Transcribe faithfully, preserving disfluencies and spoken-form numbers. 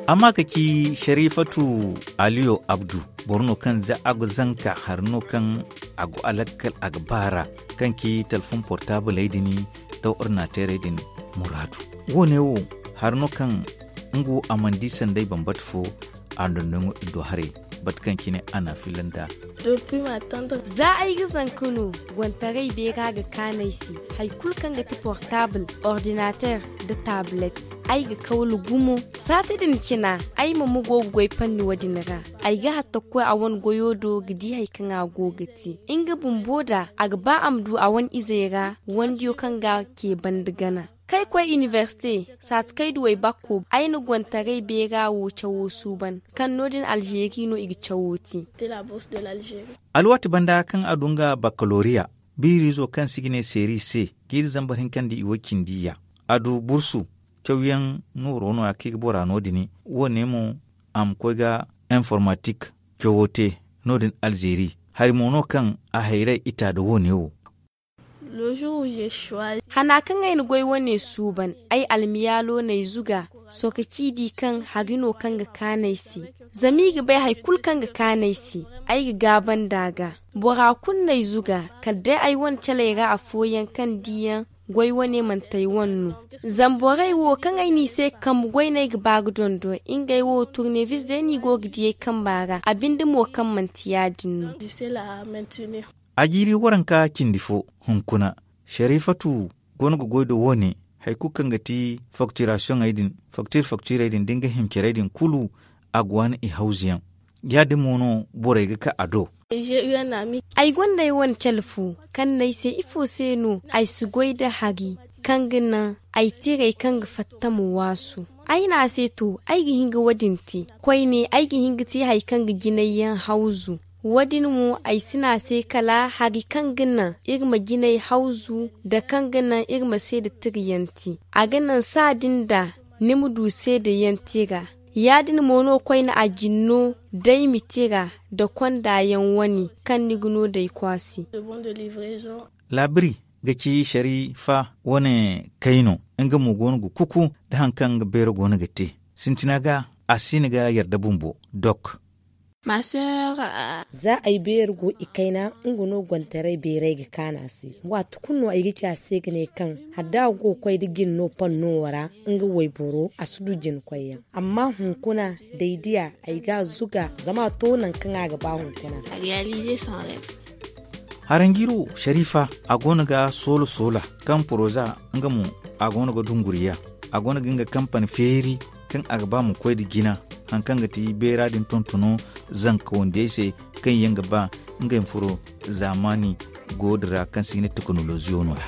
Amma ka ci sharifatu aliyo abdu, boro no kaŋ za a ga zanka hari no kaŋ a go a lakkal a ga baara, kaŋ ci talfon portaabuley din da ordinateerey din muraadu. Wo- ne wo hari no kaŋ nga wo a mana di sanday bambata fo a dondon do haray, bate kaŋ cine a na a filla nd'a. Za ay ga zanka no, gontaray beera ga kaanu ay se. Hari kulu kaŋ ga ti portaabul, ordinateer, nda taabulet, ay ga kawlu gumo. Saati din cina, ay ma ma go ga goy panni wo- din ra. Ay ga hatta ga koy a wane goyo do ga di hari kaŋ a go ga te nga bumbo nd'a, a ga ba a ma du a wane izey ra wandiyo kaŋ ga a ce banda gana. Kaŋ ay koy inibersite, saati kaŋ ay du waybakko, ay na gontaray beera wo cawo suuban, kaŋ no- din alzeeri no i ga cawo te. Alwaati banda kaŋ a du nga bakkaloriya, biiriizo kaŋ se i ga ne seeri se, jiiri zambar hinka nda i way cindi ya, a du bursu. Cawyaŋ nooro no- ya kaŋ i ga bora no- din. Wo- ne mo, a ma koy ga informatik cawo te no- din alzeeri. Hari mo no kaŋ a hayray ita nda wo- ne wo. Hana kaŋ ay na goy wane suuban, ay almiyaalo n'ay zuga. Sohõ ka ci di kaŋ hari no kaŋ ga kaanu ay se. Zama i ga bay hari kulu kaŋ ga kaanu ay se, ay ga gaaba nd'a ga. Bora kulu n'ay zuga, kala day ay wane caley ra afooyaŋ kaŋ diyaŋ goy wane manti ay wane no. Zama borey wo kaŋ ay n'i se ga kambe goy no ay ga ba ga dondon. Ngey wo turnevis day no i go ga di ay kamba ra, a binde mo kaŋ manti ya- din no. A jiiri waranka cindi fo hunkuna, sharifatu go no ga goy nda wo- ne. Hari kulu kaŋ ga ti faktirasiyoŋey din, faktir faktirey din da nga himcerey din kulu, a ga waani i hawzu yaŋ. Ya- din mo no borey ga ka a do. Ay gonda ay wane cale fo kaŋ n'ay se ifo se no ay si goy nda hari kaŋ ga naŋ ay tiray kaŋ ga fatta ma waasu. Ay ne a se to, ay ga hin ga wo- din te. Koyne ay ga hin ga te hari kaŋ ga jinay yaŋ hawzu. Wo- din mo ay si ne a se kala hari kaŋ ga naŋ iri ma jinay hawzu, nda kaŋ ga naŋ iri ma seeda tirayaŋ te. A ga naŋ saa din da ni ma du seedayaŋ tira. Ya- din mo no koyne a jinno day ma tira nda konda yaŋ wane kaŋ ni ga no day kwaasi. Laabiri ga ci sharifa wane kayno, nga mo go no ga kuku nda hari kaŋ nga beero go no ga te. Sintina ga a si ni ga yarda bumbo dok. Za ay beeri go i kayna, nga no gontaray beeray ga kaanu a se. Waati kulu no ay ga ci a se ga ne kaŋ hala da a go ga koy nda jine no panno wo ra, nga wayboro a si du jine koyyaŋ. Amma hunkuna, da ay di a, ay ga a zuga zama a to nangu kaŋ a ga ba hunkuna. Haranjiiro sharifa, a go no ga soola soola kaŋ poroza, nga mo a go no ga dunguriya. A go no ga nga kampani feeri kaŋ a ga ba ma koy nda jina, hari kaŋ ga ti beera din tontono zanka wandiyey se, kaŋ yaŋ ga ba ngey ma furo zaamaani go din ra kaŋ se i ga ne tekinoloziyo no- ya.